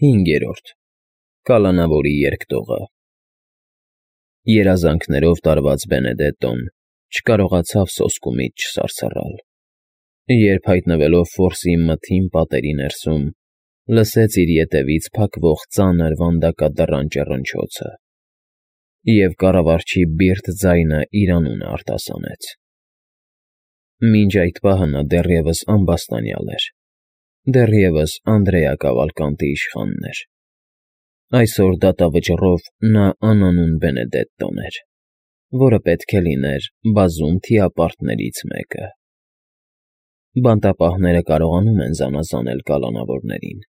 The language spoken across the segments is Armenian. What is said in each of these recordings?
5. Կալանավորի երկտողը Երազանքներով տարված Բենեդետտոն չկարողացավ սոսկումից չսարսռալ, երբ հայտնվելով Ֆորսի մթին պատերի ներսում, լսեց իր ետևից փակվող ծանր վանդակադռան ճռնչոցը և կառավարչի բիրտ ձայնը իր անունը արտասանեց։ Մինչ այդ պահը նա դեռևս ամբաստանյալ էր, դեռևս Անդրեա Կավալկանտի իշխանն էր։ Այսօր դատավճռով նա անանուն Բենեդետտոն էր, որը պետք է լիներ բազում թիապարտներից մեկը։ Բանտապահները կարողանում են զանազանել կալանավորներին,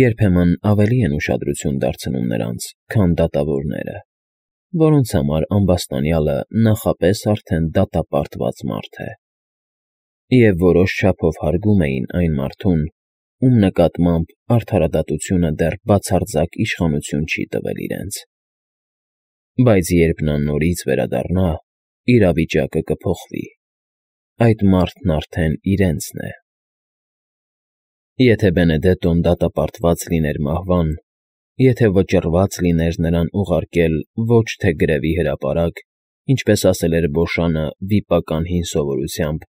երբեմն ավելի են ուշադրություն դարձնում նրանց, քան դատավորները, որոնց համար ամբաստանյալը նախապես արդեն դատապարտված մարդ է, և որոշ չափով հարգում էին այն մարդուն, ում նկատմամբ արդարադատությունը դեռ բացարձակ իշխանություն չի տվել իրենց։ Բայց երբ նա նորից վերադառնա, իրավիճակը կփոխվի, այդ մարդն արդեն իրենցն է։ Եթե Բենեդետտոն դատապարտված լիներ մահվան, եթե վճռված լիներ նրան ուղարկել ոչ թե գրևի հրապարակ, ինչպես ասել էր Բոշանը վիպական հին սովորությամբ,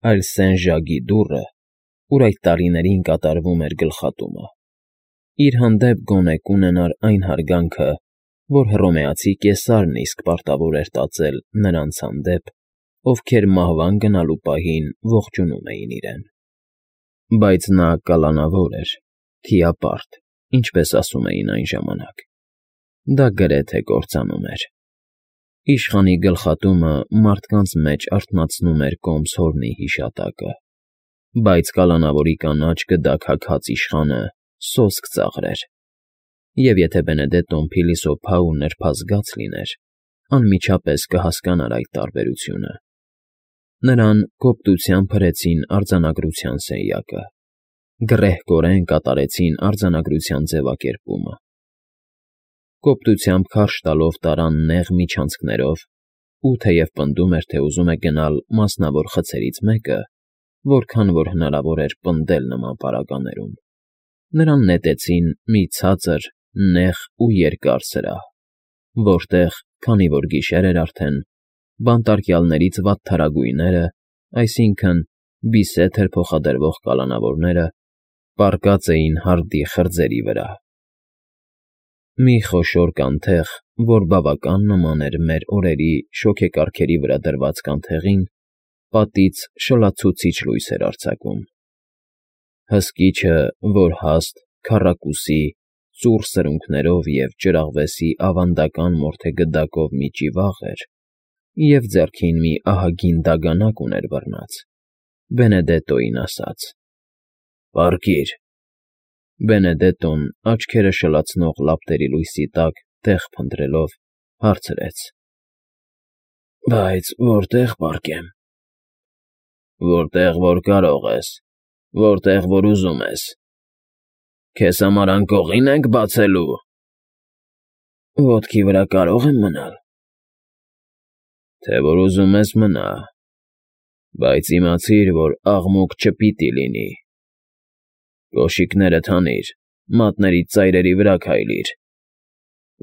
այլ Սեն֊Ժագի դուռը, ուր այդ տարիներին կատարվում էր գլխատումը, իր հանդեպ գոնե կունենար այն հարգանքը, որ հռոմեացի կեսարն իսկ պարտավոր էր տածել նրանց հանդեպ, ովքեր մահվան գնալու պահին ողջունում էին իրեն։ Բայց նա կալանավոր էր, թիապարտ, ինչպես ասում էին այն ժամանակ։ Դա գրեթե կործանում էր։ Իշխանի գլխատումը մարդկանց մեջ արթնացնում էր Կոմսհորնի հիշատակը, բայց կալանավորի կանաչ կդաքաքած իշխանը սոսկ ծաղրեր, և եթե Բենեդետտոն փիլիսոփա ու նրբազգաց լիներ, անմիջապես կհասկանար այդ տարբերությունը։ Նրան կոպտությամբ հրեցին արձանագրության սենյակը, գռեհկորեն կատարեցին արձանագրության ձևակերպումը։ Կոպտությամբ քարշ տալով տարան նեղ միջանցքներով ու թեև պնդում էր, թե ուզում է գնալ մասնավոր խցերից մեկը, որքան որ հնարավոր էր պնդել նման պարագաներում, նրան նետեցին մի ցածր, նեղ ու երկար սրահ, որտեղ, քանի որ գիշեր էր արդեն, բանտարկյալներից վատթարագույնները, այսինքն՝ բիսեթր փոխադրվող կալանավորները, պառկած էին հարդի խրձերի վրա։ Մի խոշոր կանթեղ, որ բավական նման էր մեր օրերի շոգեկառքերի վրա դրված կանթեղին, պատից շլացուցիչ լույս էր արձակում։ Հսկիչը, որ հաստ, քառակուսի, ծուռ սրունքներով և ջրաղվեսի ավանդական մորթե գդակով մի ճիվաղ էր և ձեռքին մի ահագին դագանակ ուներ բռնած, Բենեդետտոյին ասաց. «Պառկիր»։ Բենեդետտոն, աչքերը շլացնող լապտերի լույսի տակ տեղ փնտրելով, հարցրեց. «Բայց որտե՞ղ պառկեմ»։ «Որտեղ որ կարող ես, որտեղ որ ուզում ես։ Քեզ համար անկողի՞ն ենք բացելու»։ «Ոտքի վրա կարո՞ղ եմ մնալ»։ «Թե որ ուզում ես մնա, բայց իմացիր, որ աղմուկ չպիտի լինի։ Կոշիկներդ հանիր, մատներիդ ծայրերի վրա քայլիր,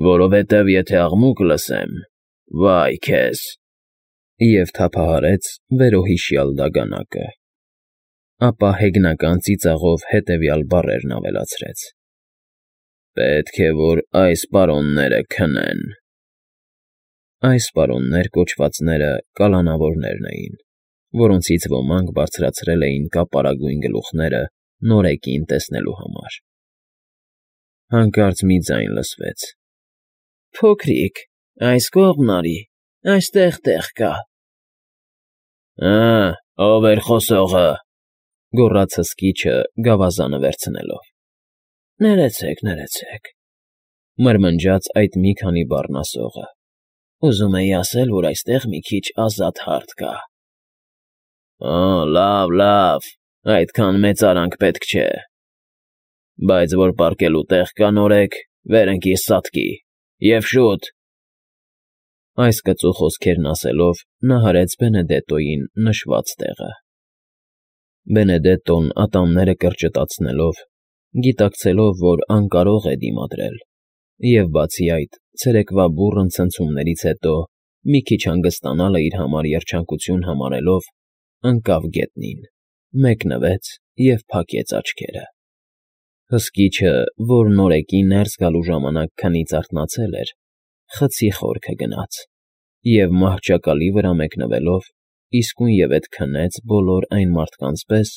որովհետև եթե աղմուկ լսեմ, վա՜յ քեզ»։ Եվ թափահարեց վերոհիշյալ դագանակը։ Ապա հեգնական ծիծաղով հետևյալ բառերն ավելացրեց. «Պետք է, որ այս պարոնները քնեն»։ Այս պարոններ կոչվածները կալանավորներն էին, որոնցից ոմանք բարձրացրել էին կապարագույն գլուխները նորեկին տեսնելու համար։ Հանկարծ մի ձայն լսվեց. «Փոքրիկ, այս կողմն արի, այստեղ տեղ կա»։ Ո՞վ էր խոսողը,֊ գոռաց հսկիչը, գավազանը վերցնելով։ Ներեցեք, ներեցեք,֊ մրմնջաց այդ մի քանի բառն ասողը։ Ուզում էի ասել, որ այստեղ մի քիչ ազատ հարթ կա։ Լավ, լավ, այդքան մեծարանք պետք չէ։ Բայց որ պառկելու տեղ կա, նորեկ, վեր ընկիր սատկի, և շուտ։ Այս կծու խոսքերն ասելով, նա հարեց Բենեդետտոյին նշված տեղը։ Բենեդետտոն ատամները կրճտացնելով գիտակցելով, որ անկարող է դիմադրել, և բացի այդ, ցերեկվա բուռն ցնցումներից հետո մի քիչ հանգստանալը իր համար երջանկություն համարելով, ընկավ գետնին, մեկնվեց և փակեց աչքերը։ Հսկիչը, որ նորեկի ներս գալու ժամանակ քնից արթնացել էր, խցի խորքը գնաց և մահճակալի վրա մեկնվելով իսկույնևեթ քնեց բոլոր այն մարդկանց պես,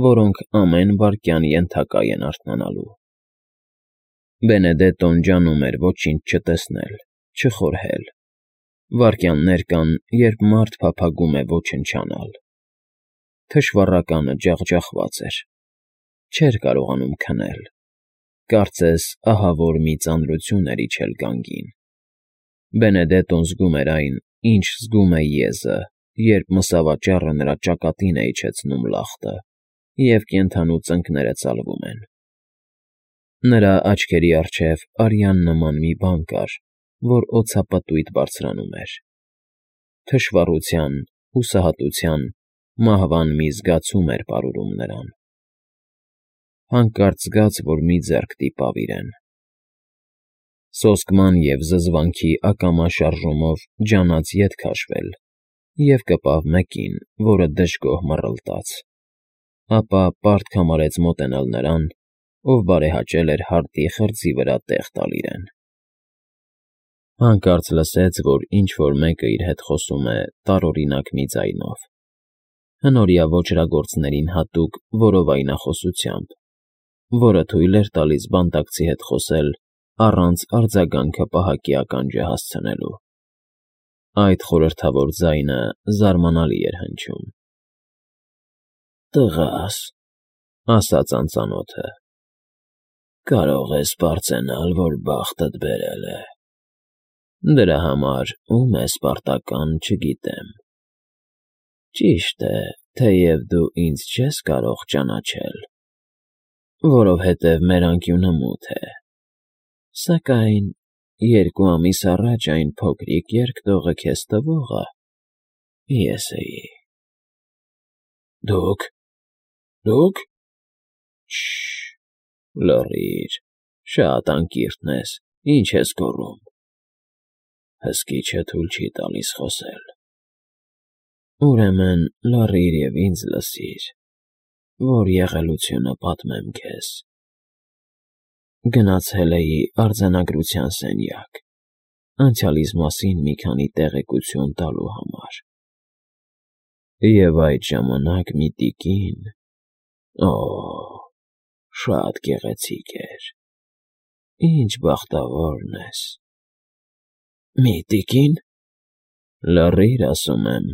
որոնք ամեն վայրկյան ենթակա են արթնանալու։ Բենեդետտոն ջանում էր ոչինչ չտեսնել, չխորհել։ Վայրկյաններ կան, երբ մարդ փափագում է ոչնչանալ։ Թշվառականը ջախջախված էր։ Չէր կարողանում քնել։ Կարծես ահավոր մի ծանրություն էր իջել գանգին։ Բենեդետտոն զգում էր այն, ինչ զգում է եզը, երբ մսավաճառը նրա ճակատին է իջեցնում լախտը, և կենդանու ծնկները ցալվում են։ Նրա աչքերի առջև արյան նման մի բան կար, որ օձապտույտ բարձրանում էր։ Թշվառության, հուսահատության, մահվան մի զգացում էր պարուրում նրան։ Հանկարծ զգաց, որ մի ձեռք դիպավ իրեն։ Սոսկման և զզվանքի ակամա շարժումով ջանաց ետ քաշվել և կպավ մեկին, որը դժգոհ մռլտաց, ապա պարտք համարեց մոտենալ նրան, ով բարեհաճել էր հարտի խրձի վրա տեղ տալ իրեն։ Հանկարծ լսեց, որ ինչ֊որ մեկը իր հետ խոսում է տարօրինակ մի ձայնով, հնորյա ոճրագործներին հատուկ որովայնախոսությամբ, որը թույլ էր տալիս բանտակցի հետ խոսել առանց արձագանքը պահակի ականջը հասցնելու։ Այդ խորհրդավոր ձայնը զարմանալի էր հնչում։ «Տղա՛ս,» ասաց անծանոթը,֊ կարող ես պարծենալ, որ բախտդ բերել է։ Դրա համար ում ես պարտական, չգիտեմ։ Ճիշտ է, թեև դու ինձ չես կարող ճանաչել, որովհետև մեր անկյունը մութ է, սակայն 2 ամիս առաջ այն փոքրիկ երկտողը քեզ տվողը ես էի։ Դուք… Շ… Լռիր, շատ անկիրթն ես, ինչ ես գոռում։ Հսկիչը թույլ չի տալիս խոսել։ Ուրեմն լռիր և ինձ լսիր, որ եղելությունը պատմեմ քեզ։ Գնացել էի արձանագրության սենյակ, անցյալիս մասին մի քանի տեղեկություն տալու համար։ Եվ այդ ժամանակ մի տիկին… Օ՜, շատ գեղեցիկ էր… Ինչ բախտավորն ես… Մի տիկի՞ն… Լռիր, ասում եմ…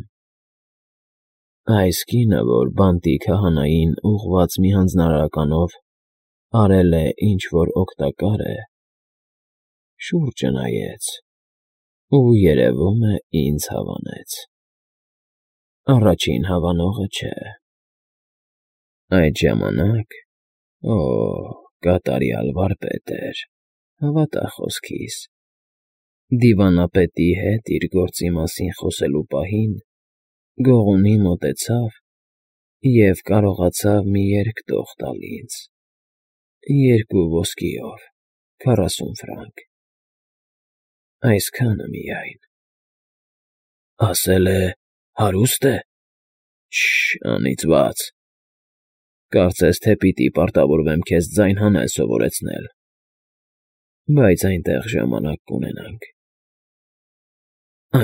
Այս կինը, որ բանտի քահանային ուղղված մի հանձնարարականով արել է ինչ֊որ օգտակար է, շուրջը նայեց ու, երևում է, ինձ հավանեց։ Առաջին հավանողը չէ։ Այդ ժամանակ… Օ՜, կատարյալ վարպետ էր, հավատա խոսքիս… Դիվանապետի հետ իր գործի մասին խոսելու պահին գողունի մոտեցավ և կարողացավ մի երկտող տալ ինձ, 2 ոսկիով, 40 ֆրանկ… Այսքանը միայն… Ասել է հարուստ է… Շ… անիծված… Կարծես թե պիտի պարտավորվեմ քեզ ձայն հանել սովորեցնել… Բայց այնտեղ ժամանակ կունենանք…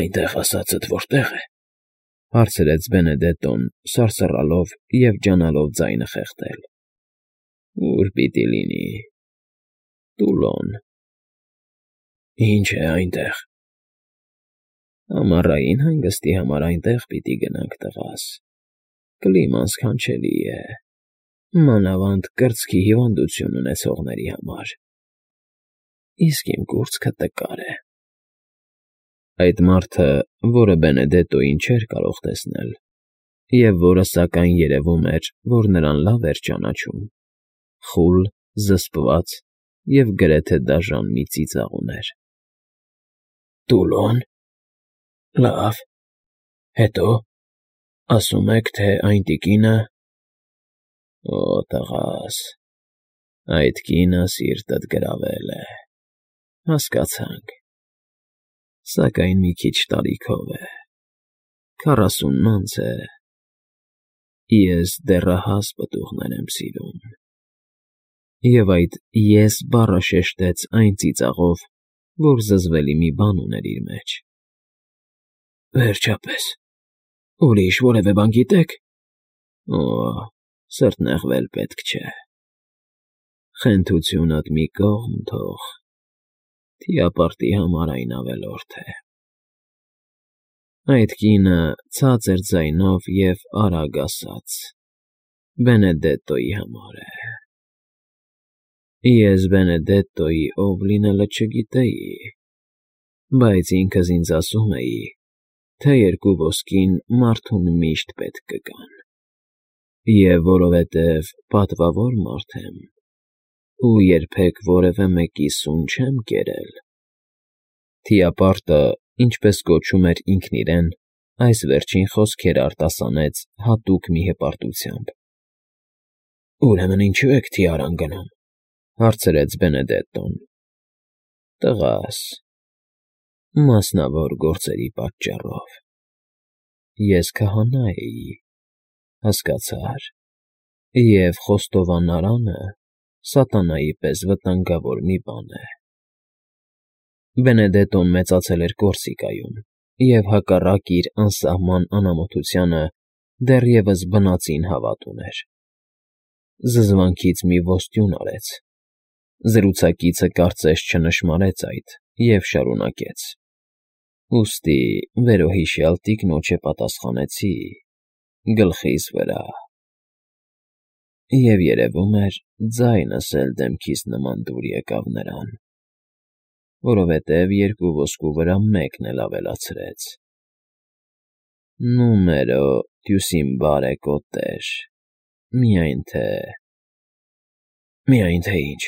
Այնտեղ ասածդ որտե՞ղ է,֊ հարցրեց Բենեդետտոն, սարսռալով և ջանալով ձայնը խեղդել։ Ուր պիտի լինի… Տուլոն… Ի՞նչ է այնտեղ… Ամառային հանգստի համար այնտեղ պիտի գնանք, տղաս… Կլիման սքանչելի է, մանավանդ կրծքի հիվանդություն ունեցողների համար… Իսկ իմ կուրծքը տկար է… Այդ մարդը, որը Բենեդետտոյին չէր կարող տեսնել, և որը, սակայն, երևում էր, որ նրան լավ էր ճանաչում, խուլ, զսպված և գրեթե դաժան մի ծիծաղ ուներ։ Տուլո՞ն… Լավ… Հետո… Ասում եք, թե այն տիկինը… Օ, տղաս… Այդ կինը սիրտդ գրավել է, հասկացանք, սակայն մի քիչ տարիքով է, 40-ն անց է, ես դեռահաս պտուղներ եմ սիրում, և այդ «ես» բառը շեշտեց այն ծիծաղով, որ զզվելի մի բան ուներ իր մեջ։ Վերջապես, ուրիշ որևէ բան գիտե՞ք։ Օ, սրտնեղվել պետք չէ։ Խենթությունդ մի կողմ թող, թիապարտի համար այն ավելորդ է։ Այդ կինը ցածր ձայնով և արագ ասաց. Բենեդետտոյի համար է։ Ես Բենեդետտոյի ով լինելը չգիտեի, բայց ինքս ինձ ասում էի, թե երկու ոսկին մարդուն միշտ պետք կգան, և որովհետև պատվավոր մարդ եմ ու երբեք որևէ մեկի սուն չեմ կերել, թիապարտը, ինչպես կոչում էր ինքն իրեն, այս վերջին խոսքերը արտասանեց հատուկ մի հպարտությամբ։ Ուրեմն ինչո՞ւ եք թիարան գնում, հարցրեց Բենեդետտոն։ Տղաս, մասնավոր գործերի պատճառով։ Ես քահանա էի, հասկացա՞ր, և խոստովանարանը սատանայի պես վտանգավոր մի բան է։ Բենեդետտոն մեծացել էր Կորսիկայում և հակառակ իր անսահման անամոթությանը դեռևս բնածին հավատ ուներ։ Զզվանքից մի ոստյուն արեց։ Զրուցակիցը կարծես չնշմարեց այդ և շարունակեց. Ուստի վերոհիշյալ տիկնոջը պատասխանեցի գլխիս վրա։ Եվ երևում էր, ձայնս էլ դեմքիս նման դուր եկավ նրան, որովհետև երկու ոսկու վրա մեկն էլ ավելացրեց. Նումերո տյուսիմբարե կոտեր, միայն թե ինչ,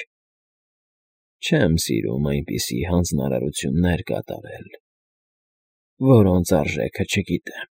չեմ սիրում այնպիսի հանձնարարություններ կատարել, որոնց արժեքը չգիտեմ։